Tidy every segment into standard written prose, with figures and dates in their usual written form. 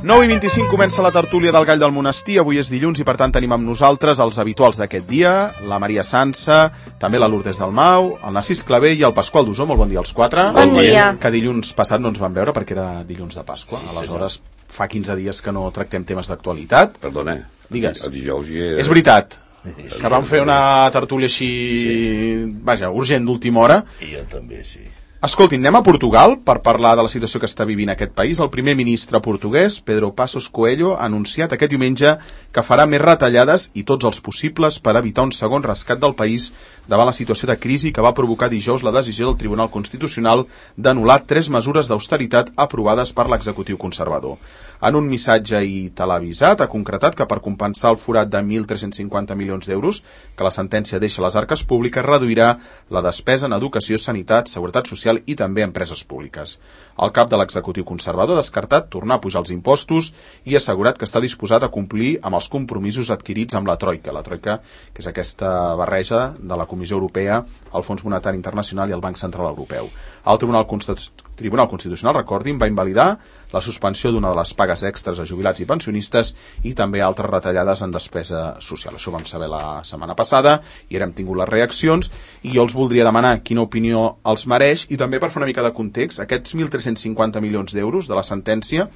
9:25 comença la tertúlia del Gall del Monestir. Avui és dilluns i per tant tenim amb nosaltres els habituals d'aquest dia, la Maria Sansa, també la Lourdes Dalmau, el Narcís Clavé i el Pasqual Dusó. Molt bon dia als quatre. Bon dia. Que dilluns passat no ens vam veure perquè era dilluns de Pasqua. Aleshores fa 15 dies que no tractem temes d'actualitat. Perdona, digues. El dijous hi era... És veritat, que vam fer una tertúlia així, vaja, urgent d'última hora. I jo també, sí. Escoltin, anem a Portugal per parlar de la situació que està vivint aquest país. El primer ministre portuguès, Pedro Passos Coelho, ha anunciat aquest diumenge que farà més retallades i tots els possibles per evitar un segon rescat del país davant la situació de crisi que va provocar dijous la decisió del Tribunal Constitucional d'anul·lar 3 mesures d'austeritat aprovades per l'executiu conservador. En un missatge i televisat ha concretat que per compensar el forat de 1.350 milions d'euros que la sentència deixa a les arques públiques reduirà la despesa en educació, sanitat, seguretat social i també empreses públiques. El cap de l'executiu conservador ha descartat tornar a pujar els impostos i ha assegurat que està disposat a complir amb els compromisos adquirits amb la Troika. La Troika, que és aquesta barreja de la Comissió Europea, el Fons Monetari Internacional i el Banc Central Europeu. El Tribunal Constitucional, recordin, va invalidar la suspensió d'una de les pagues extres a jubilats i pensionistes i també altres retallades en despesa social. Això ho vam saber la setmana passada i ara hem tingut les reaccions i jo els voldria demanar quina opinió els mereix i també per fer una mica de context, aquests 1.350 milions d'euros de la sentència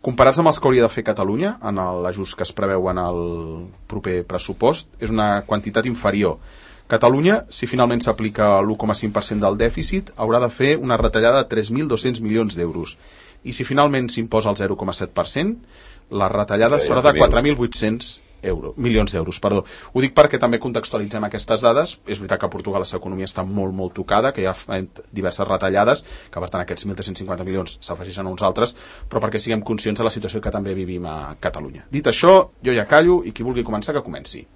comparats amb els que hauria de fer Catalunya en l'ajust que es preveu en el proper pressupost, és una quantitat inferior. Catalunya, si finalment s'aplica l'1,5% del dèficit, haurà de fer una retallada de 3.200 milions d'euros. I si finalment s'imposa el 0,7%, la retallada serà de 4.800 milions d'euros. Ho dic perquè també contextualitzem aquestes dades. És veritat que a Portugal la economia està molt tocada, que hi ha diverses retallades, que per tant aquests 1.350 milions s'afegeixen a uns altres, però perquè siguem conscients de la situació que també vivim a Catalunya. Dit això, jo ja callo i qui vulgui començar que comenci.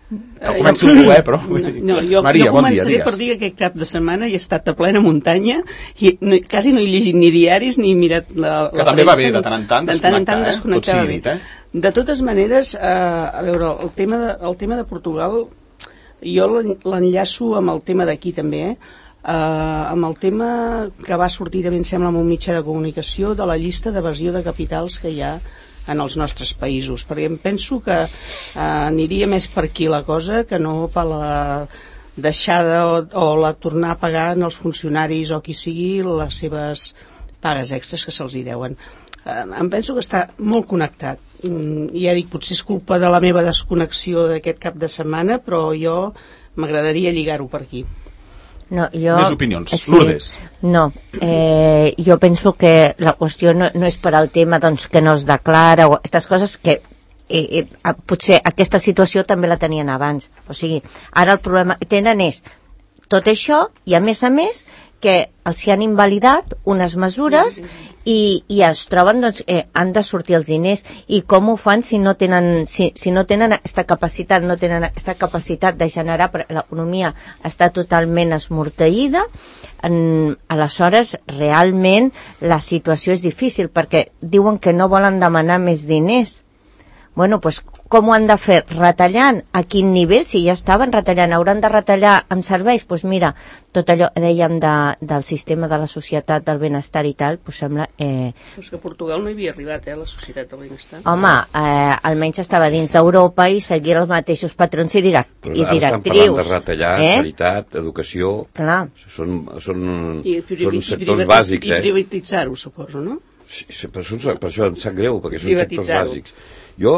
Que comenci tu, però... No, jo començaré per dir que aquest cap de setmana he estat a plena muntanya i quasi no he llegit ni diaris ni mirat la que també va bé de tant en tant desconnectar, tot sigui dit, De totes maneres, a veure, el tema de Portugal jo l'enllaço amb el tema d'aquí també, amb el tema que va sortir també, em sembla, amb un mitjà de comunicació de la llista d'evasió de capitals que hi ha en els nostres països, perquè em penso que aniria més per aquí la cosa que no per la deixada o la tornar a pagar en els funcionaris o qui sigui les seves pagues extres que se'ls hi deuen. Em penso que està molt connectat. Ja dic, potser és culpa de la meva desconnexió d'aquest cap de setmana, però jo m'agradaria lligar-ho per aquí. No, més opinions. Sí, Lourdes. No, jo penso que la qüestió no és per al tema doncs, que no es declara o aquestes coses que potser aquesta situació també la tenien abans. O sigui, ara el problema que tenen és tot això i a més que els hi han invalidat unes mesures i es troben, doncs, han de sortir els diners i com ho fan si no tenen aquesta capacitat, no tenen aquesta capacitat de generar, l'economia està totalment esmorteïda, aleshores realment la situació és difícil perquè diuen que no volen demanar més diners. Bueno, doncs com ho han de fer? Retallant? A quin nivell? Si ja estaven retallant, hauran de retallar amb serveis? Doncs mira, tot allò, dèiem, del sistema de la societat del benestar i tal, doncs sembla... Doncs que a Portugal no hi havia arribat, la societat del benestar. Home, almenys estava dins d'Europa i seguia els mateixos patrons i directrius. Estan parlant de retallar sanitat, educació... Clar. Són sectors bàsics, I privatitzar-ho, suposo, no? Sí, per això em sap greu, perquè són sectors bàsics. Jo,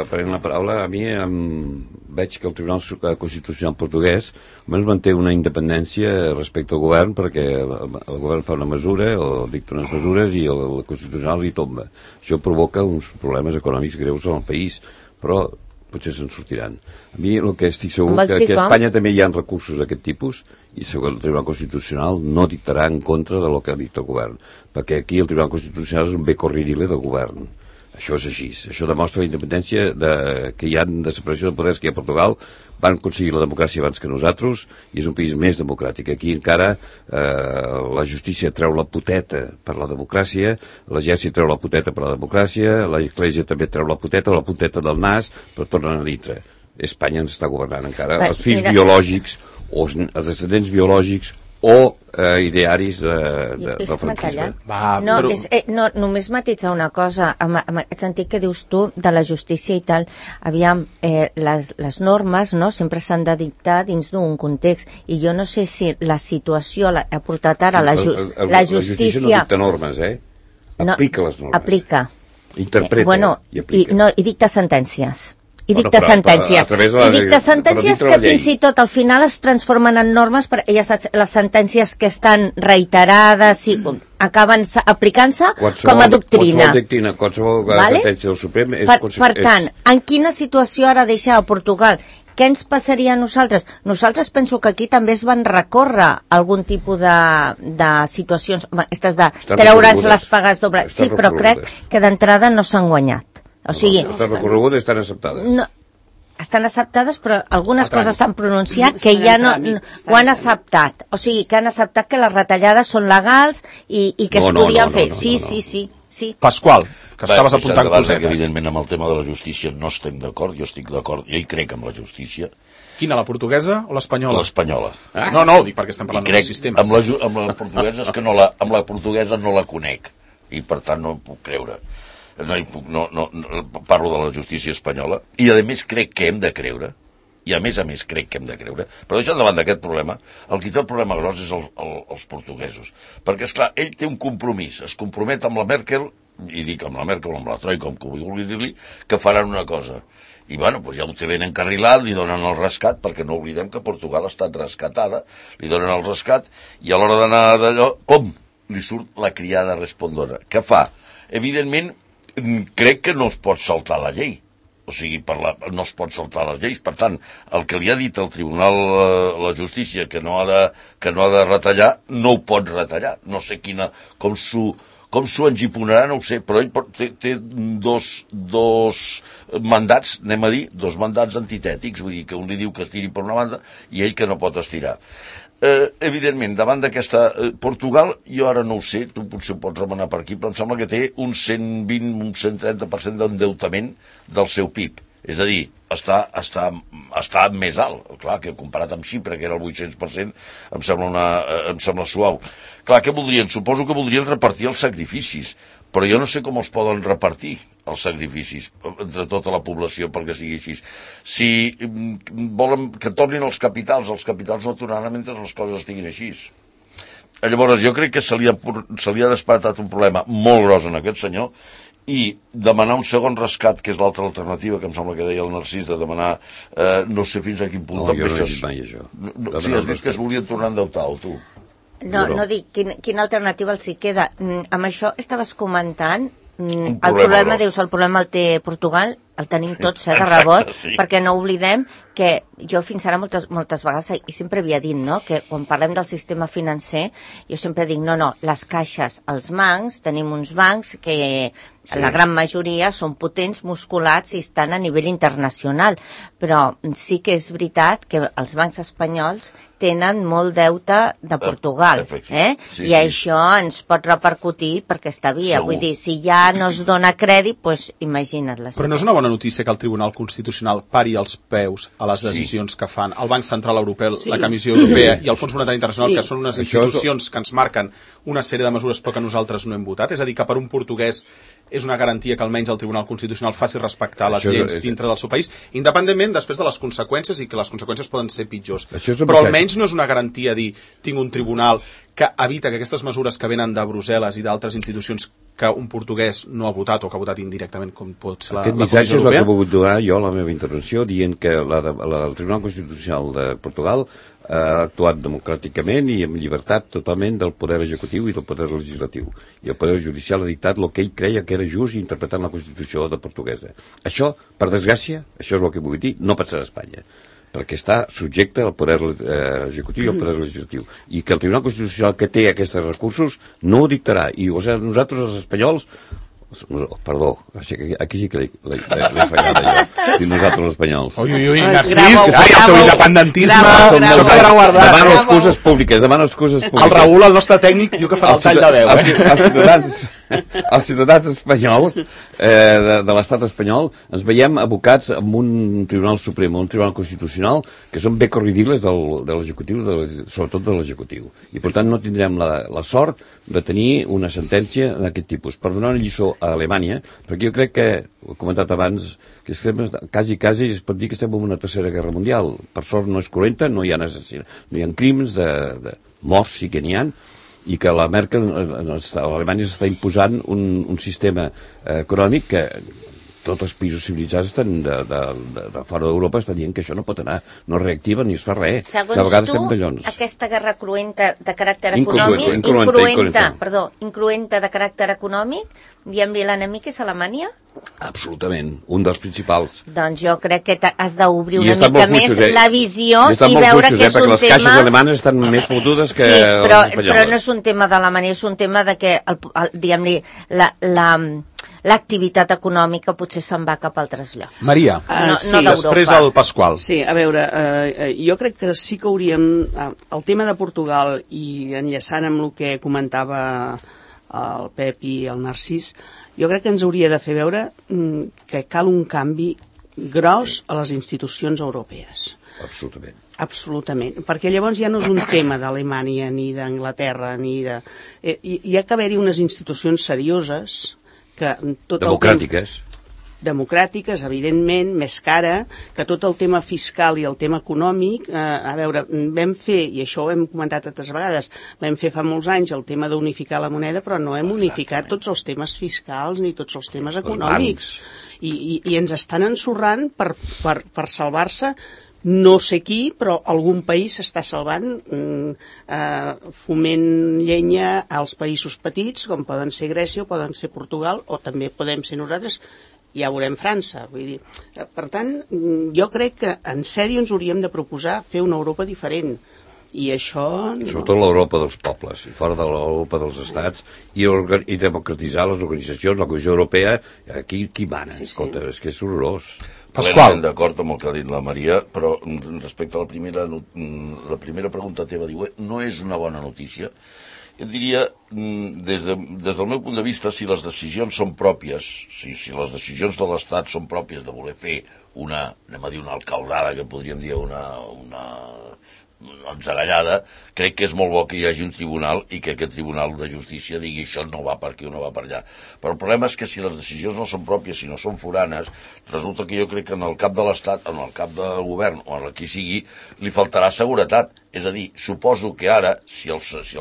prenent la paraula, a mi veig que el Tribunal Constitucional portuguès almenys manté una independència respecte al govern perquè el govern fa una mesura o dicta unes mesures i el Constitucional li tomba. Això provoca uns problemes econòmics greus en el país, però potser se'n sortiran. A mi el que estic segur que aquí a Espanya també hi ha recursos d'aquest tipus i segur el Tribunal Constitucional no dictarà en contra del que dicta el govern, perquè aquí el Tribunal Constitucional és un bé corridile del govern. Això és així. Això demostra la independència que hi ha de separació de poders que hi ha a Portugal. Van aconseguir la democràcia abans que nosaltres i és un país més democràtic. Aquí encara la justícia treu la poteta per la democràcia, l'exèrcit treu la poteta per la democràcia, l'església també treu la punteta del nas, però tornen a dintre. Espanya ens està governant encara. Els fills biològics o els descendents biològics o idearis del franquisme. Només matitzar una cosa, en el sentit que dius tu de la justícia i tal, aviam, les normes sempre s'han de dictar dins d'un context, i jo no sé si la situació ha portat ara la justícia... La justícia no dicta normes, aplica les normes. Aplica. Interpreta i aplica. I dicta sentències. I dicta sentències que fins i tot al final es transformen en normes, perquè ja saps, les sentències que estan reiterades i acaben aplicant-se com a doctrina. Qualsevol sentència del Suprem és... Per tant, en quina situació ara deixa a Portugal? Què ens passaria a nosaltres? Nosaltres penso que aquí també es van recórrer algun tipus de situacions, aquestes de treure'ns les pagues dobles. Sí, però crec que d'entrada no s'han guanyat. O sigui, estan recorregudes i estan acceptades. No, estan acceptades, però algunes coses s'han pronunciat que ja no ho han acceptat. O sigui, que han acceptat que les retallades són legals i que es podien fer. Sí. Pasqual, que estaves apuntant cosetes. Evidentment, amb el tema de la justícia no estem d'acord, jo estic d'acord, jo hi crec amb la justícia. Quina, la portuguesa o l'espanyola? L'espanyola. No, ho dic perquè estem parlant de sistemes. Amb la portuguesa és que amb la portuguesa no la conec, i per tant no em puc creure. No parlo de la justícia espanyola, i a més crec que hem de creure, i a més crec que hem de creure, però deixant davant d'aquest problema, el qui té el problema gros és els portuguesos, perquè esclar, ell té un compromís, es compromet amb la Merkel, i dic amb la Merkel o amb la Troika, com que vulguis dir-li, que faran una cosa, i bueno, doncs ja ho té ben encarrilat, li donen el rescat, perquè no oblidem que Portugal ha estat rescatada, li donen el rescat, i a l'hora d'anar d'allò, pum, li surt la criada respondona. Què fa? Evidentment, crec que no es pot saltar la llei, o sigui, no es pot saltar les lleis. Per tant, el que li ha dit el Tribunal la Justícia que no ha de retallar, no ho pot retallar. No sé com s'ho engiponarà, no ho sé, però ell té dos mandats, anem a dir, dos mandats antitètics, vull dir que un li diu que estiri per una banda i ell que no pot estirar. Evidentment, davant d'aquesta... Portugal, jo ara no ho sé, tu potser ho pots remenar per aquí, però em sembla que té un 120, un 130% d'endeutament del seu PIB. És a dir, està més alt. Clar, que comparat amb Xipre, que era el 800%, em sembla suau. Clar, què voldrien? Suposo que voldrien repartir els sacrificis, però jo no sé com els poden repartir, els sacrificis, entre tota la població, perquè sigui així. Si volen que tornin els capitals no tornaran mentre les coses estiguin així. Llavors, jo crec que se li ha despertat un problema molt gros en aquest senyor, i demanar un segon rescat, que és l'altra alternativa, que em sembla que deia el Narcís, de demanar, no sé fins a quin punt... No, jo no he dit mai això. Sí, has dit que es volien tornar a endeutar, o tu? No dic, quina alternativa els hi queda. Amb això estaves comentant, el problema el té Portugal, el tenim tots, de rebot, perquè no oblidem que jo fins ara moltes vegades, i sempre havia dit, no?, que quan parlem del sistema financer, jo sempre dic, no, les caixes, els bancs, tenim uns bancs que la gran majoria són potents, musculats i estan a nivell internacional, però sí que és veritat que els bancs espanyols tenen molt deute de Portugal, i això ens pot repercutir per aquesta via. Vull dir, si ja no es dona crèdit, doncs imagina't la situació. Però no és una bona notícia que el Tribunal Constitucional pari els peus a les decisions que fan el Banc Central Europeu, la Comissió Europea i el Fons Monetari Internacional, que són unes institucions que ens marquen una sèrie de mesures però que nosaltres no hem votat? És a dir, que per un portuguès és una garantia que almenys el Tribunal Constitucional faci respectar les lleis dintre del seu país, independentment després de les conseqüències, i que les conseqüències poden ser pitjors. Però almenys no és una garantia dir, tinc un tribunal que evita que aquestes mesures que venen de Brussel·les i d'altres institucions que un portuguès no ha votat o que ha votat indirectament, com pot ser la Comissió Europea. Aquest missatge és el que he pogut donar jo a la meva intervenció, dient que el Tribunal Constitucional de Portugal ha actuat democràticament i amb llibertat totalment del poder executiu i del poder legislatiu. I el poder judicial ha dictat el que ell creia que era just interpretant la Constitució de portuguesa. Això, per desgràcia, això és el que vull dir, no passarà a Espanya, perquè està subjecte al poder executiu i al poder legislatiu. I que el Tribunal Constitucional que té aquests recursos no ho dictarà. I nosaltres, els espanyols, perdó, aquí sí que l'he fallat allò, i nosaltres els espanyols. Ui, Narcís, el teu independentisme, això quedarà guardat. Demano excuses públiques. El Raül, el nostre tècnic, diu que farà el tall de veu. Els ciutadans els ciutadans espanyols de l'estat espanyol ens veiem abocats amb un Tribunal Suprem, un Tribunal Constitucional, que són becos ridícules de l'executiu, sobretot de l'executiu. I per tant no tindrem la sort de tenir una sentència d'aquest tipus. Per donar una lliçó a Alemanya, perquè jo crec que, ho he comentat abans, que estem, quasi es pot dir que estem en una tercera guerra mundial. Per sort no és cruenta, no hi ha crims de morts, sí que n'hi ha, i que la Merkel, l'Alemanya s'està imposant un sistema econòmic que tots els països civilitzats estan de fora d'Europa estan dient que això no pot anar, no reactiva ni es fa res. Segons tu, aquesta guerra cruenta de caràcter econòmic, incruenta de caràcter econòmic, diem-li l'enemic és Alemanya? Absolutament, un dels principals. Doncs jo crec que has d'obrir una mica més la visió i veure que és un tema... Les caixes alemanes estan més fotudes que les espanyoles. Però no és un tema d'Alemanya, és un tema de que, diguem-li, l'activitat econòmica potser se'n va cap a altres llocs. Maria, sí, després el Pasqual. Sí, a veure, jo crec que sí que hauríem... El tema de Portugal, i enllaçant amb el que comentava el Pep i el Narcís, jo crec que ens hauria de fer veure que cal un canvi gros a les institucions europees. Absolutament. Absolutament, perquè llavors ja no és un tema d'Alemanya ni d'Anglaterra ni de... Hi ha que haver-hi unes institucions serioses que tot democràtiques, evidentment, més cara, que tot el tema fiscal i el tema econòmic, a veure, vam fer, i això ho hem comentat altres vegades, vam fer fa molts anys el tema d'unificar la moneda, però no hem unificat tots els temes fiscals ni tots els temes econòmics. I ens estan ensorrant per salvar-se no sé qui, però algun país s'està salvant foment llenya als països petits, com poden ser Grècia o poden ser Portugal, o també podem ser nosaltres, ja veurem França. Vull dir, per tant, jo crec que en sèrio ens hauríem de proposar fer una Europa diferent. I això... Sobretot l'Europa dels pobles, i fora de l'Europa dels estats, i democratitzar les organitzacions, la Comissió Europea, aquí qui mana? Sí. Escolta, és que és horrorós. Pasqual. D'acord amb el que ha dit la Maria, però respecte a la primera pregunta teva, diu, no és una bona notícia. Jo diria, des del meu punt de vista, si les decisions són pròpies, si les decisions de l'Estat són pròpies de voler fer una alcaldada, que podríem dir una enzagallada, crec que és molt bo que hi hagi un tribunal i que aquest tribunal de justícia digui això no va per aquí o no va per allà. Però el problema és que si les decisions no són pròpies, si no són foranes, resulta que jo crec que en el cap de l'Estat, en el cap del govern o en el qui sigui, li faltarà seguretat. És a dir, suposo que ara, si el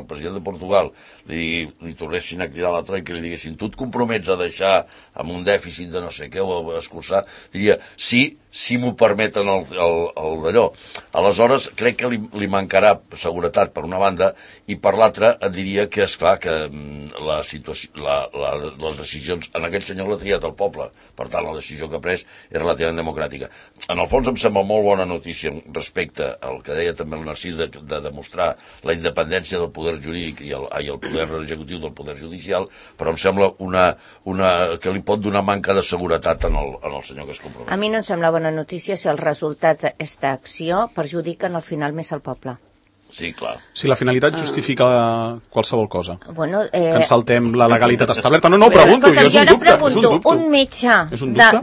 president de Portugal li tornessin a cridar a la troika i li diguessin tu et compromets a deixar amb un dèficit de no sé què o a escurçar, diria sí, si m'ho permeten el d'allò. Aleshores, crec que li mancarà seguretat per una banda i per l'altra et diria que és clar que les decisions, en aquell senyor l'ha triat el poble, per tant la decisió que ha pres és relativament democràtica. En el fons em sembla molt bona notícia respecte al que deia també el Narcís de demostrar la independència del poder jurídic i el poder executiu del poder judicial, però em sembla que li pot donar manca de seguretat en el senyor que es compromet. A mi no em sembla bona notícia si els resultats d'aquesta acció perjudiquen al final més al poble. Sí, clar. Si la finalitat justifica qualsevol cosa. Bueno, que ens saltem la legalitat establerta. No, pregunto, escolta, jo és un dubte. Un metge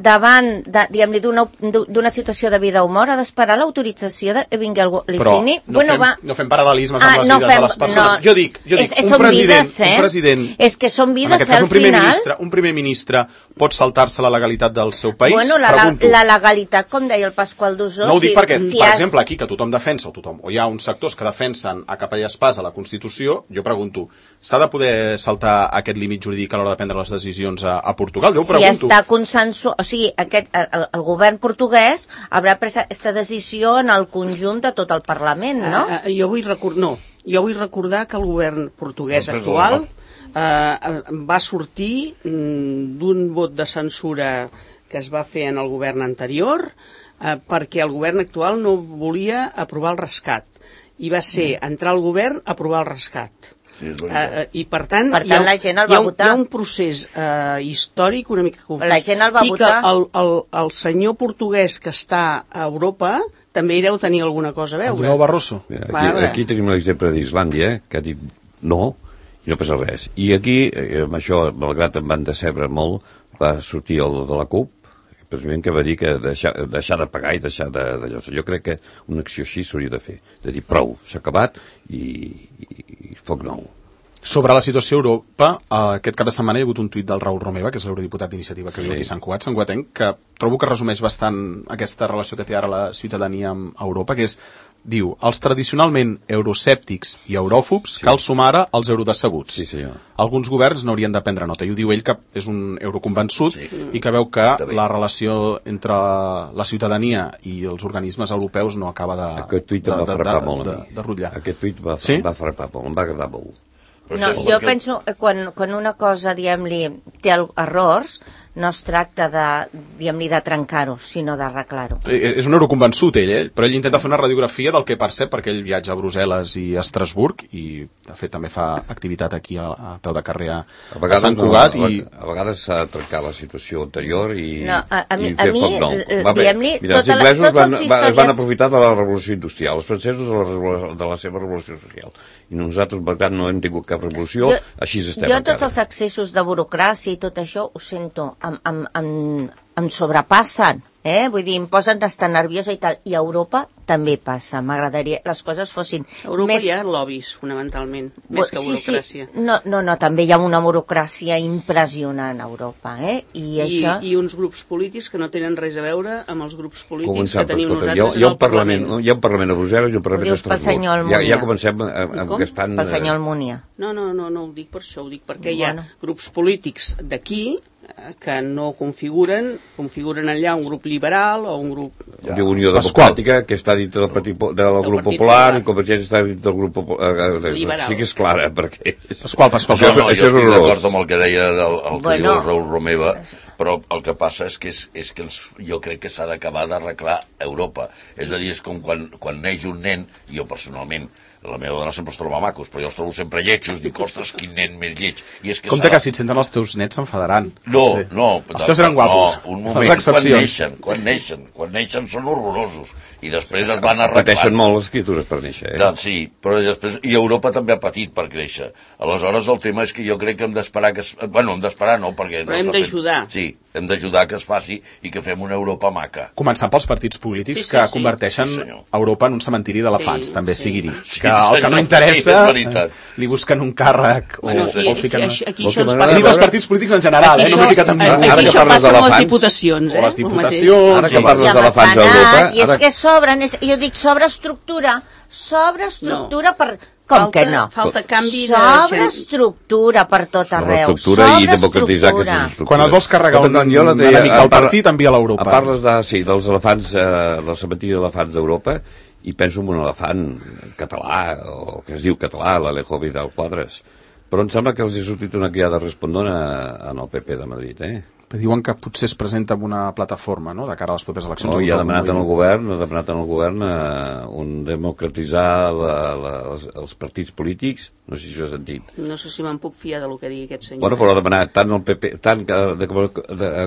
davant d'una situació de vida o mort ha d'esperar l'autorització de vingui algú li signi. Però no fem paral·lelismes amb les vides de les persones. Jo dic, un president... És que són vides, al final... Un primer ministre pot saltar-se la legalitat del seu país? Bueno, la legalitat, com deia el Pasqual Dusó... No ho dic perquè, per exemple, aquí, que tothom defensa, o hi ha uns sectors que defensen a capa i espasa la Constitució, jo pregunto, s'ha de poder saltar aquest límit jurídic a l'hora de prendre les decisions a Portugal? Jo ho pregunto. Si està consensuat, o sigui, el govern portuguès haurà pres aquesta decisió en el conjunt de tot el Parlament, no? Jo vull recordar que el govern portuguès actual va sortir d'un vot de censura que es va fer en el govern anterior perquè el govern actual no volia aprovar el rescat. I va ser entrar al govern a aprovar el rescat. Sí, i per tant la gent el va votar. Hi ha un procés històric una mica confús. La gent el va votar. I que el senyor portuguès que està a Europa també hi deu tenir alguna cosa a veure. El Barroso. Aquí tenim l'exemple d'Islàndia, que ha dit no, I no passa res. I aquí, amb això, malgrat em van decebre molt, va sortir el de la CUP, precisament que va dir que deixar de pagar i deixar d'allò. Jo crec que una acció així s'hauria de fer, de dir prou, s'ha acabat i foc nou. Sobre la situació a Europa, aquest cap de setmana hi ha hagut un tuit del Raül Romeva, que és l'eurodiputat d'iniciativa que viu aquí a Sant Cugat, que trobo que resumeix bastant aquesta relació que té ara la ciutadania amb Europa, que és, diu, els tradicionalment euroscèptics i euròfobs cal sumar ara els eurodecebuts. Sí, senyor. Alguns governs n'haurien de prendre nota, i ho diu ell, que és un euroconvençut i que veu que la relació entre la ciutadania i els organismes europeus no acaba de Aquest tuit em va frapar molt a mi. de rutllar. Aquest tuit em va frapar molt, em va agradar molt. No, jo penso que quan una cosa, diguem-li, té errors, no es tracta de trencar-ho, sinó d'arreglar-ho. És un euroconvençut, però ell intenta fer una radiografia del que percep, perquè ell viatja a Brussel·les i a Estrasburg, i de fet també fa activitat aquí a peu de carrer a Sant Cugat. A vegades s'ha de trencar la situació anterior i fer foc nou. Diguem-li, mira, els inglesos es van aprofitar de la revolució industrial, els francesos de la seva revolució social. I nosaltres, per tant, no hem tingut cap revolució, així estem encara. Jo tots els excessos de burocràcia i tot això ho sento, em sobrepassen, vull dir, em posen d'estar nerviosa i tal, i a Europa també passa, m'agradaria les coses fossin a Europa més... hi ha lobbies, fonamentalment, més que burocràcia. Sí. No, també hi ha una burocràcia impressionant a Europa, I uns grups polítics que no tenen res a veure amb els grups polítics que tenim nosaltres en el Parlament. Hi ha un Parlament a Brussel·les i un Parlament a Estrasburg. Ja comencem gastant... Pel senyor Almunia. No ho dic per això, ho dic perquè hi ha grups polítics d'aquí que no configuren allà un grup liberal o un grup... Unió Democràtica, que està dintre del grup popular, i Convergència està dintre del grup popular. Sí que és clara, perquè... Pasqual. Jo estic d'acord amb el que deia el Raül Romeva, però el que passa és que jo crec que s'ha d'acabar d'arreglar Europa. És a dir, és com quan neix un nen, jo personalment, la meva dona sempre els troba macos, però jo els trobo sempre lletjos, dic, ostres, quin nen més lleig. Compte que si et senten els teus nets s'enfadaran. No. Els teus eren guapos. Un moment, quan neixen són horrorosos. I després es van arreglant. Pateixen molt les criatures per néixer. Sí, però després... I Europa també ha patit per créixer. Aleshores, el tema és que jo crec que hem d'esperar que... Bueno, hem d'esperar no, perquè... Però hem d'ajudar. Sí, hem d'ajudar que es faci i que fem una Europa maca. Començant pels partits polítics que converteixen Europa en un cementiri d'elefants, també sigui dit. Que el que no interessa li busquen un càrrec o fiquen... Aquí això ens passa... Els partits polítics en general, no m'he ficat amb... Aquí això passa amb les diputacions, les diputacions... Ara que parles d'elefants a Europa... I és que sobren, jo dic sobreestructura per... Com que no? Falta canvi de... Sobreestructura per tot arreu. Sobreestructura i democratitzar aquesta estructura. Quan et vols carregar un enemic al partit, envia a l'Europa. Parles dels elefants, del cementiri d'elefants d'Europa, i penso en un elefant català, o que es diu català, l'Alejo Vidal Quadras. Però em sembla que els ha sortit una criada respondona en el PP de Madrid, Diuen que potser es presenta amb una plataforma, no?, de cara a les properes eleccions. I ha demanat en el govern democratitzar els partits polítics. No sé si ho has sentit. No sé si me'n puc fiar del que digui aquest senyor. Bueno, però ha demanat tant el PP,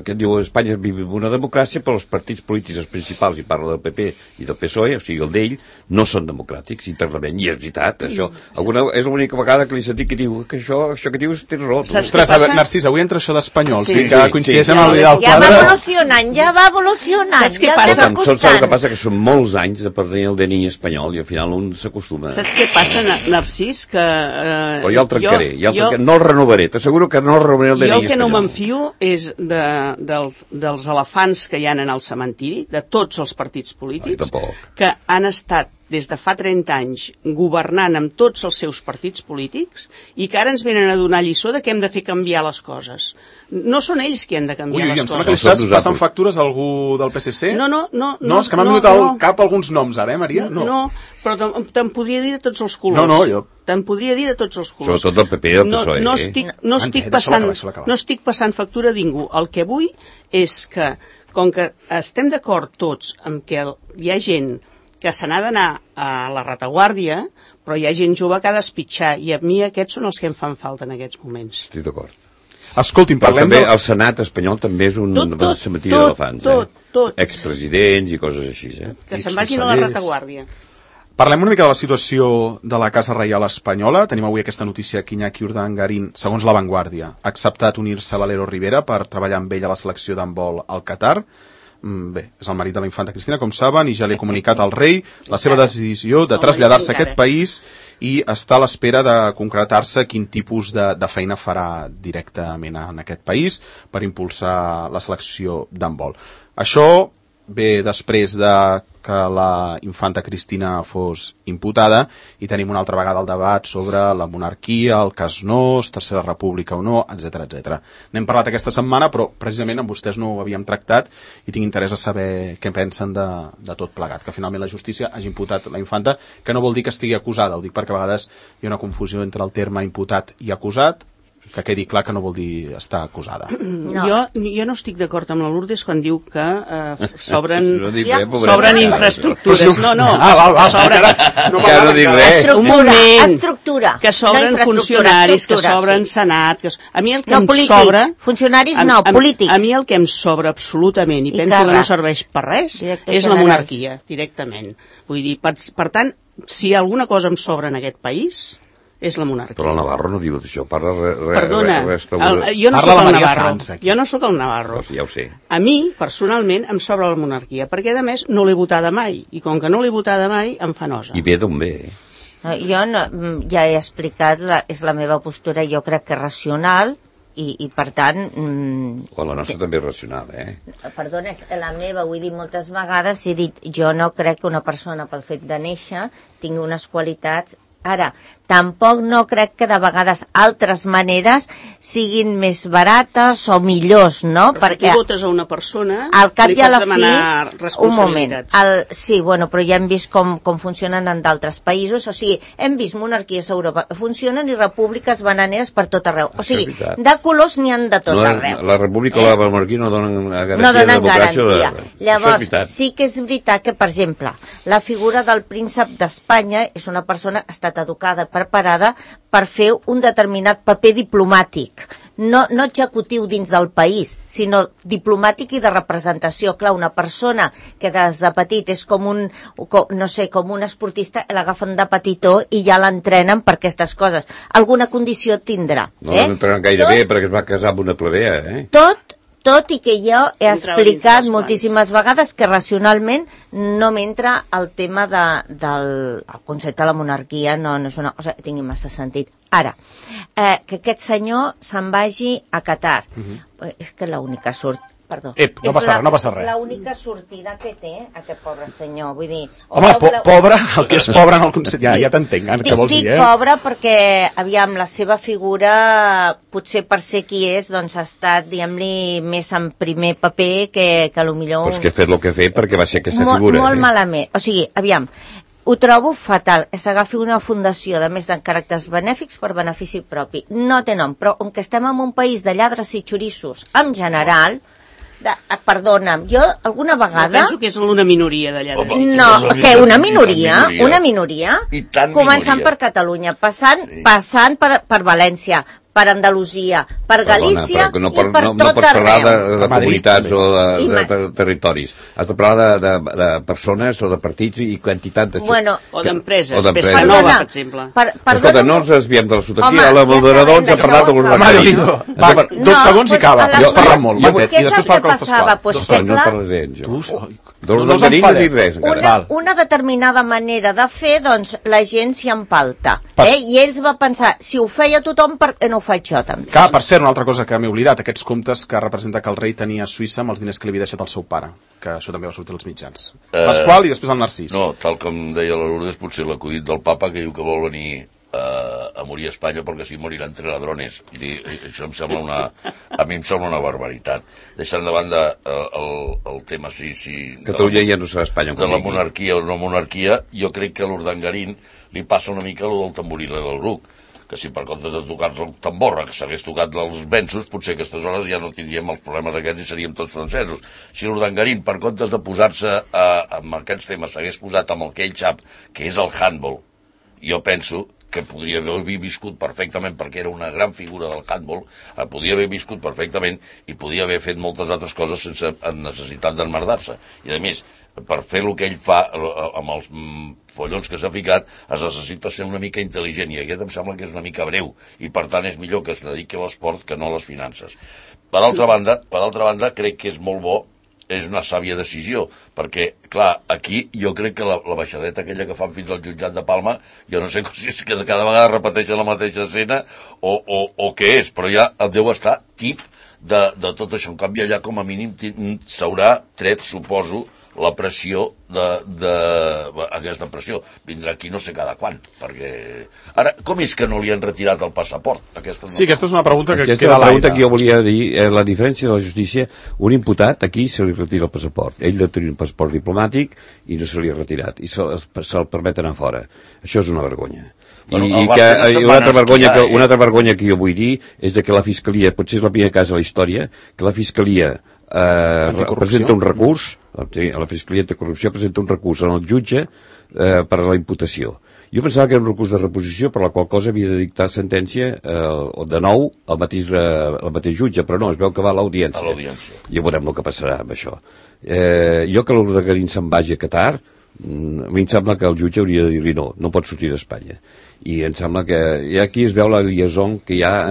que diu Espanya viu una democràcia, però els partits polítics principals, i parla del PP i del PSOE, o sigui el d'ell, no són democràtics internament, i és veritat, això. És l'única vegada que li he sentit que diu que això que dius té raó. Ostres, Narcís, avui entra això d'espanyol, que coincideix amb el Vidal Quadras. Ja va evolucionant. Saps què passa? Saps el que passa? Que són molts anys de tenir el DNI espanyol i al final un s'acostuma. Saps què passa, Narcís? Que però ja el trencaré, no el renovaré, t'asseguro que no el renovaré el DNI espanyol. Jo el que no m'enfio és dels elefants que hi ha en el cementiri, de tots els partits polítics, que han estat des de fa 30 anys governant amb tots els seus partits polítics i que ara ens venen a donar lliçó de que hem de fer canviar les coses. No són ells qui han de canviar les coses. Em sembla que li estàs passant factures a algú del PSC? No, és que m'han vingut al cap alguns noms ara, Maria? No, però te'n podria dir de tots els colors. Jo... Te'n podria dir de tots els colors. Sobretot del PP i del PSOE. No estic passant factura a ningú. El que vull és que, com que estem d'acord tots amb que hi ha gent que se n'ha d'anar a la retaguardia, però hi ha gent jove que ha d'espitxar, i a mi aquests són els que em fan falta en aquests moments. Estic d'acord. Escolti'm, parlem també el Senat espanyol també és un cementiri d'elefants. Tot. Expresidents i coses així, Que se'n vagin a la retaguardia. Parlem una mica de la situació de la Casa Reial Espanyola. Tenim avui aquesta notícia que Iñaki Urdangarín, segons La Vanguardia, ha acceptat unir-se a Valero Rivera per treballar amb ell a la selecció d'handbol al Qatar. Bé, és el marit de la infanta Cristina, com saben, i ja li ha comunicat al rei la seva decisió de traslladar-se a aquest país i està a l'espera de concretar-se quin tipus de feina farà directament en aquest país per impulsar la selecció d'handbol. Això ve després de que la infanta Cristina fos imputada i tenim una altra vegada el debat sobre la monarquia, el cas Nóos, Tercera República o no, etc etc. N'hem parlat aquesta setmana, però precisament amb vostès no ho havíem tractat i tinc interès a saber què pensen de tot plegat, que finalment la justícia hagi imputat la infanta, que no vol dir que estigui acusada, ho dic perquè a vegades hi ha una confusió entre el terme imputat i acusat, que quedi clar que no vol dir estar acusada. No. Jo no estic d'acord amb la Lourdes quan diu que s'obren infraestructures. No. Estructura. Que s'obren funcionaris, que s'obren senat. A mi el que em sobra... Funcionaris no, polítics. A mi el que em sobra absolutament, i penso que no serveix per res, és la monarquia, directament. Vull dir, per tant, si alguna cosa em sobra en aquest país... és la monarquia. Però el Navarro no diu això, parla jo no soc el Navarro. Jo no soc el Navarro. Ja ho sé. A mi, personalment, em sobra la monarquia, perquè, a més, no l'he votada mai, i com que no l'he votada mai, em fa nosa. I ve d'on ve? Jo ja he explicat, és la meva postura, jo crec que racional, i per tant... La nostra també és racional, Perdona, és la meva, ho he dit moltes vegades, he dit, jo no crec que una persona pel fet de néixer tingui unes qualitats. Ara, tampoc no crec que de vegades altres maneres siguin més barates o millors, no? Però perquè si tu votes a una persona, al cap li i a la pots demanar responsabilitats. Un moment, sí, bueno, però ja hem vist com funcionen en d'altres països, o sigui, hem vist monarquies a Europa que funcionen i repúbliques bananeres per tot arreu. O sigui, de colors n'hi ha de tot arreu. La república o la monarquia no donen garantia. Llavors, sí que és veritat que, per exemple, la figura del príncep d'Espanya és una persona que ha estat educada, preparada per fer un determinat paper diplomàtic, no executiu dins del país, sinó diplomàtic i de representació. Clar, una persona que des de petit és com un esportista, l'agafen de petitó i ja l'entrenen per aquestes coses. Alguna condició tindrà. No l'entrenen gaire bé perquè es va casar amb una plebea, Tot i que jo he explicat moltíssimes vegades que racionalment no m'entra el tema del concepte de la monarquia, no és una cosa que tingui massa sentit. Ara, que aquest senyor se'n vagi a Qatar, és que l'única sort... Perdó. No passa res. És l'única sortida que té aquest pobre senyor, vull dir... Home, pobre, el que és pobre en el concepte... Ja t'entenc, què vols dir, Dic pobre perquè, aviam, la seva figura, potser per ser qui és, doncs ha estat, diguem-li, més en primer paper que potser... Però és que ha fet el que ha fet perquè va ser aquesta figura. Molt malament. O sigui, aviam, ho trobo fatal, que s'agafi una fundació de més de caràcters benèfics per benefici propi. No té nom, però com que estem en un país de lladres i xorissos, en general... Perdona'm, jo alguna vegada... Penso que és una minoria d'allà. No, que una minoria? Una minoria? Començant per Catalunya, passant per València, per Andalusia, per Galícia i per tot arreu. No pots parlar de comunitats o de territoris. Has de parlar de persones o de partits i quantitat de... O d'empreses. Pescanova, per exemple. Escolta, no ens desviem de la sotaquia. La moderadora ens ha parlat de l'Urdangarín. Va, 2 segons i acaba. Has parlat molt. Què saps què passava? Pues que clar... Una determinada manera de fer, doncs la gent s'hi empalta. I ells va pensar, si ho feia tothom, per què no ho faig jo també? Que, per cert, una altra cosa que m'he oblidat, aquests comptes que representa que el rei tenia a Suïssa amb els diners que li havia deixat el seu pare, que això també va sortir als mitjans. Pasqual i després el Narcís. No, tal com deia la Lourdes, potser l'acudit del papa que diu que vol venir a morir a Espanya perquè si morirà entre ladrones. Això a mi em sembla una barbaritat. Deixant de banda el tema Catalunya ja no serà Espanya de la monarquia o no monarquia, jo crec que a l'Urdangarín li passa una mica el del tamborile del Bruc, que si per comptes de tocar-se el tambor que s'hagués tocat els venços, potser a aquestes hores ja no tindríem els problemes aquests i seríem tots francesos. Si l'Urdangarín, per comptes de posar-se amb aquests temes, s'hagués posat amb el que ell sap, que és el handball, jo penso que podria haver viscut perfectament, perquè era una gran figura del handball, podia haver viscut perfectament i podia haver fet moltes altres coses sense necessitat d'emmerdar-se. I a més, per fer el que ell fa amb els follons que s'ha ficat, es necessita ser una mica intel·ligent, i aquest em sembla que és una mica breu, i per tant és millor que es dediqui a l'esport que no a les finances. Per altra banda, crec que és molt bo, és una sàvia decisió, perquè, clar, aquí jo crec que la baixadeta aquella que fan fins al jutjat de Palma, jo no sé si és que cada vegada repeteixen la mateixa escena o què és, però ja deu estar tip de tot això. En canvi, allà com a mínim s'haurà tret, suposo, la pressió aquesta pressió. Vindrà aquí no sé cada quan, perquè... Ara, com és que no li han retirat el passaport? Aquesta és una pregunta que queda a l'aire. Aquesta és la pregunta que jo volia dir. La diferència de la justícia, un imputat aquí se li retira el passaport. Ell ha tenir un passaport diplomàtic i no se li ha retirat, i se'l permet anar fora. Això és una vergonya. I una altra vergonya que jo vull dir és que la Fiscalia, potser és el primer cas a la història, que la Fiscalia presenta un recurs, la Fiscalia Anticorrupció presenta un recurs al jutge per a la imputació. Jo pensava que era un recurs de reposició, per la qual cosa havia de dictar sentència de nou el mateix jutge, però no, es veu que va a l'audiència. Ja veurem el que passarà amb això. Jo que l'Ordegarín se'n vagi a Qatar, a mi em sembla que el jutge hauria de dir-li no pot sortir d'Espanya. I em sembla que aquí es veu la liaison que hi ha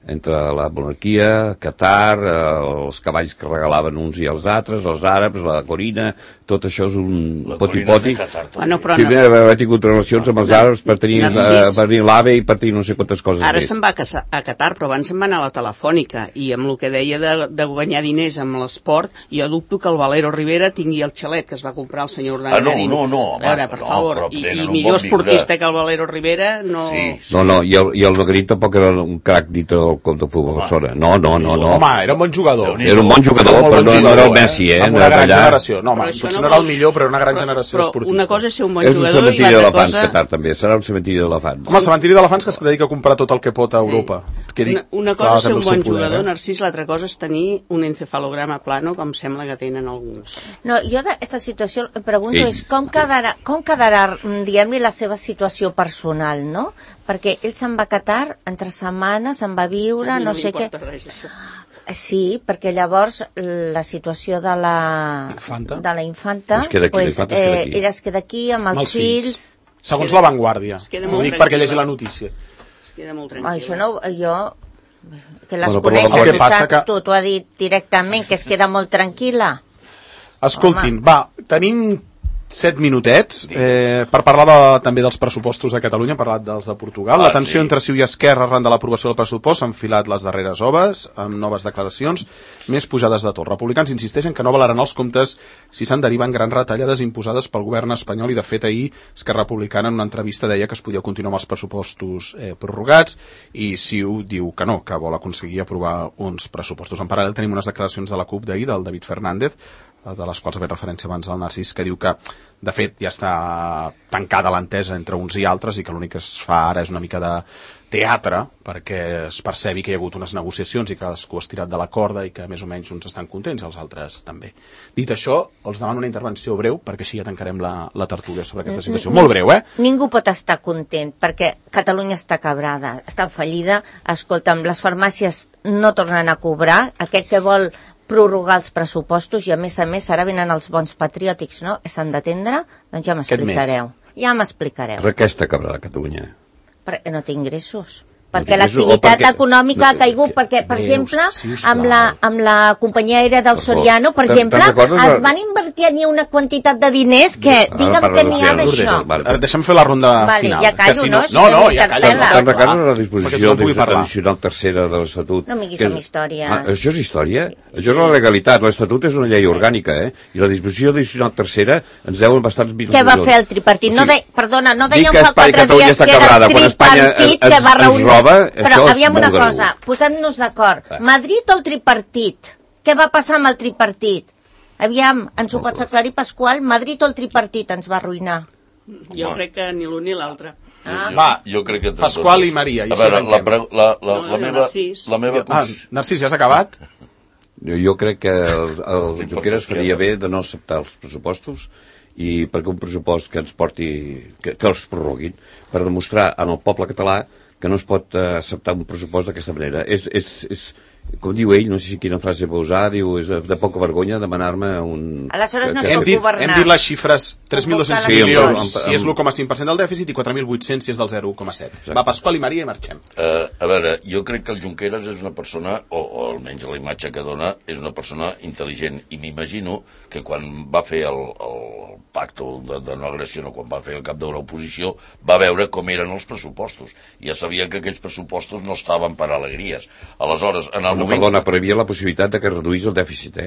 entre la monarquia, Qatar, els cavalls que regalaven uns i els altres, els àrabs, la Corina, tot això és un poti-poti. Sí, ha tingut relacions amb els àrabs per tenir l'AVE i per tenir no sé quantes coses. Ara se'n va a Qatar, però abans se'n va anar a la Telefònica, i amb el que deia de guanyar diners amb l'esport, jo dubto que el Valero Rivera tingui el xalet que es va comprar el senyor Urdangarín. No. A veure, per favor, i millor esportista que el Valero Rivera no... No, i el Urdangarín tampoc era un crac dintre del club de futbol Barcelona. No. Home, era un bon jugador. Era un bon jugador, però no era el Messi, amb una gran generació. No, home, potser no era el millor, però era una gran generació d'esportistes. Però una cosa és ser un bon jugador i l'altra cosa... Qatar, també. Serà un cementiri d'elefants. Home, el cementiri d'elefants que es dedica a comprar tot el que pot a Europa. Una cosa és ser un bon jugador, Narcís, l'altra cosa és tenir un encefalograma plano, com sembla que tenen alguns. No, jo d'aquesta situació em pregunto és com quedarà diguem-li, la seva situació personal, no? Perquè ell se'n va a Qatar, entre setmanes, se'n va viure, no sé què... Sí, perquè llavors la situació de la infanta ella es queda aquí amb els fills. Segons La Vanguardia. Ho dic perquè llegeixi la notícia. Es queda molt tranquil·la. Això no, jo... Que les coneixes, ho saps tu, t'ho ha dit directament, que es queda molt tranquil·la. Escoltin, va, tenim 7 minutets per parlar també dels pressupostos de Catalunya. Hem parlat dels de Portugal. La tensió entre CiU i Esquerra arran de l'aprovació del pressupost s'ha enfilat les darreres hores amb noves declaracions, més pujades de tot. Republicans insisteixen que no valaran els comptes si se'n deriven grans retallades imposades pel govern espanyol, i de fet ahir Esquerra Republicana en una entrevista deia que es podia continuar amb els pressupostos prorrogats, i CiU diu que no, que vol aconseguir aprovar uns pressupostos. En paral·lel tenim unes declaracions de la CUP d'ahir, del David Fernández, de les quals ha fet referència abans al Narcís, que diu que de fet ja està tancada l'entesa entre uns i altres i que l'únic que es fa ara és una mica de teatre perquè es percebi que hi ha hagut unes negociacions i que cadascú ha estirat de la corda i que més o menys uns estan contents i els altres també. Dit això, els demano una intervenció breu perquè així ja tancarem la tertúlia sobre aquesta situació. Molt breu, Ningú pot estar content perquè Catalunya està quebrada, està en fallida. Escolta'm, les farmàcies no tornen a cobrar, aquell que vol prorrogar els pressupostos, i a més ara venen els bons patriòtics, no? S'han d'atendre? Doncs ja m'explicareu. Per què està quebrada Catalunya? Perquè no té ingressos. Perquè l'activitat econòmica ha caigut, perquè, per exemple, amb la companyia aèria del Soriano, per exemple, es van invertir ni una quantitat de diners que, digue'm que n'hi ha d'això. Deixem fer la ronda final. Ja callo, no? No, ja callo. Te'n recordes la disposició addicional tercera de l'Estatut? No m'hi diguis amb història. Això és història? Això és la legalitat. L'Estatut és una llei orgànica, I la disposició addicional tercera ens deuen bastants milions. Què va fer el tripartit? Perdona, no dèiem fa 4 dies que era el tripartit que va reunir... Però aviam una cosa, posant-nos d'acord. Madrid o el tripartit? Què va passar amb el tripartit? Aviam, ens ho pots aclarir, Pasqual? Madrid o el tripartit ens va arruïnar? Jo crec que ni l'un ni l'altre. Jo crec que... Pasqual i Maria. A veure, la meva... Narcís, ja has acabat? Jo crec que el Junqueras faria bé de no acceptar els pressupostos i perquè un pressupost que ens porti, que els prorroguin, per demostrar al poble català que no es pot acceptar un pressupost d'aquesta manera. És com diu ell, no sé si quina frase va usar, diu, és de poca vergonya demanar-me un... Aleshores no es pot governar. Hem dit les xifres, 3.200 milions si és l'1,5% del dèficit i 4.800 si és del 0,7. Va, Pasqual i Maria i marxem. A veure, jo crec que el Junqueras és una persona, o almenys la imatge que dona, és una persona intel·ligent, i m'imagino que quan va fer el pacte de no agressió, no, quan va fer el cap de l'oposició, va veure com eren els pressupostos. Ja sabia que aquells pressupostos no estaven per alegries. Aleshores, en el moment... Perdona, però hi havia la possibilitat de que reduís el dèficit,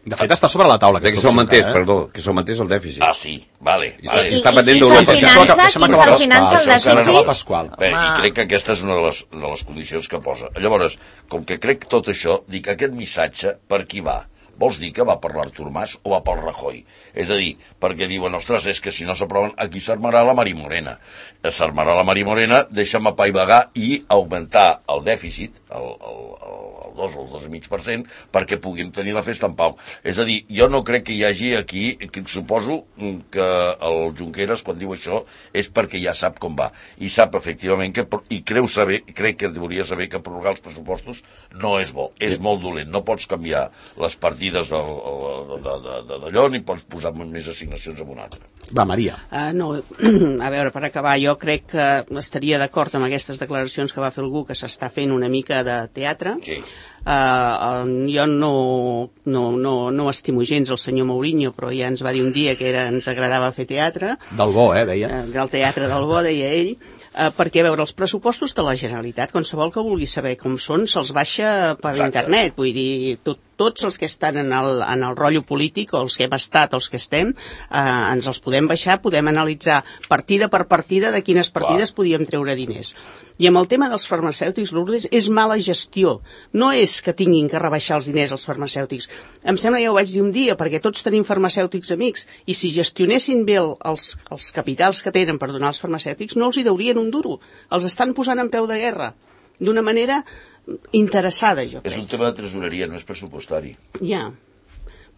De fet, està sobre la taula. Que s'augmentés el dèficit. Ah, sí, vale. Està pendent d'Europa. Quin se'l finança el dèficit? Bé, i crec que aquesta és una de les condicions que posa. Llavors, com que crec tot això, dic, aquest missatge per qui va? Vols dir que va per l'Artur Mas o va pel Rajoy? És a dir, perquè diuen, ostres, és que si no s'aproven, aquí s'armarà la Mari Morena. S'armarà la Mari Morena, deixa'm apaivagar i augmentar el dèficit, el 2 o el 2,5%, perquè puguem tenir la festa en pau. És a dir, jo no crec que hi hagi aquí, que suposo que el Junqueras, quan diu això, és perquè ja sap com va. I sap, efectivament, i crec que hauria saber que prorrogar els pressupostos no és bo, és molt dolent. No pots canviar les partides d'allò ni pots posar més assignacions en una altra. Va, Maria. No, a veure, per acabar, jo crec que estaria d'acord amb aquestes declaracions que va fer algú que s'està fent una mica de teatre. Sí. Jo no estimo gens el senyor Mourinho, però ja ens va dir un dia que ens agradava fer teatre. Del bo, deia. Del teatre del bo, deia ell. Perquè, a veure, els pressupostos de la Generalitat, qualsevol que vulgui saber com són, se'ls baixa per internet. Vull dir, tots els que estan en el rotllo polític, o els que hem estat, o els que estem, ens els podem baixar, podem analitzar partida per partida de quines partides podíem treure diners. I amb el tema dels farmacèutics, Lourdes, és mala gestió. No és que tinguin que rebaixar els diners als farmacèutics. Em sembla, ja ho vaig dir un dia, perquè tots tenim farmacèutics amics, i si gestionessin bé els capitals que tenen per donar als farmacèutics, no els hi deurien un duro. Els estan posant en peu de guerra, d'una manera interessada, jo crec. És un tema de tresoreria, no és pressupostari. Ja.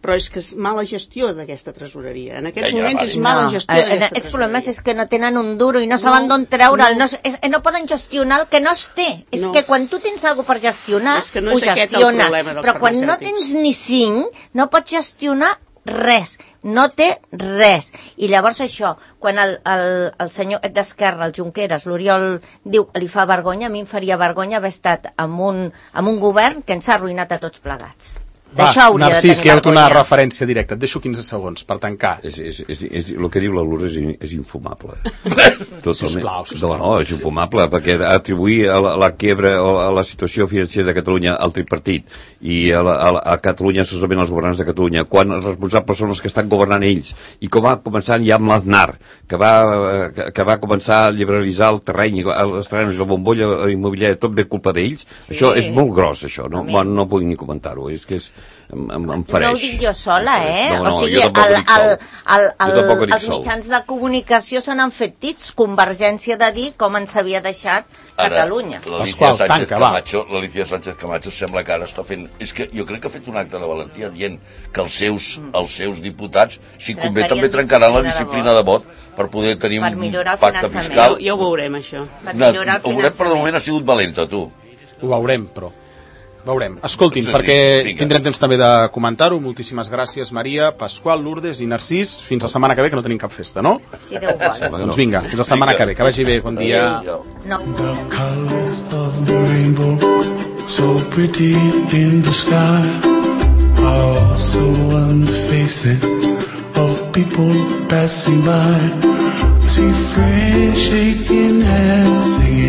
Però és que és mala gestió d'aquesta tresoreria. En aquests moments és mala gestió d'aquesta tresoreria. Els problemes és que no tenen un duro i no saben d'on treure'l. No poden gestionar el que no es té. És que quan tu tens alguna per gestionar, ho gestiones. Però quan no tens ni 5, no pots gestionar res. No té res. I llavors això, quan el senyor d'Esquerra, el Junqueras, l'Oriol, diu li fa vergonya, a mi em faria vergonya haver estat amb un govern que ens ha arruïnat a tots plegats. Va, Narcís, que hi ha una referència directa. Et deixo 15 segons per tancar. El que diu la Lourdes és infumable. Sisplau. No, és infumable, perquè atribuir la quiebra o a la situació financera de Catalunya al tripartit i a Catalunya, solament als governants de Catalunya, quan els responsables són els que estan governant ells, i com va començar ja amb l'Aznar, que va començar a liberalitzar el terreny, els terrenys, la bombolla immobiliària, tot ve culpa d'ells, això és molt gros, això, no vull ni comentar-ho, és que em fareix. No ho dic jo sola, No, o sigui, els mitjans de comunicació se n'han fet tits, Convergència de dir com ens havia deixat Catalunya. L'Alicia Sánchez Camacho sembla que ara està fent... És que jo crec que ha fet un acte de valentia dient que els seus diputats, si convé, també trencaran la disciplina de vot per poder tenir un pacte fiscal. Ja ho veurem, això. Per millorar el finançament. Però de moment ha sigut valenta, tu. Ho veurem, però. Veurem. Escoltin, perquè tindrem temps també de comentar-ho. Moltíssimes gràcies, Maria, Pasqual, Lourdes i Narcís. Fins la setmana que ve, que no tenim cap festa, no? Sí, Déu vol. Doncs vinga, fins la setmana que ve. Que vagi bé. Bon dia. No. The colors of the rainbow, so pretty in the sky, are also on the faces of people passing by. I see friends shaking hands, singing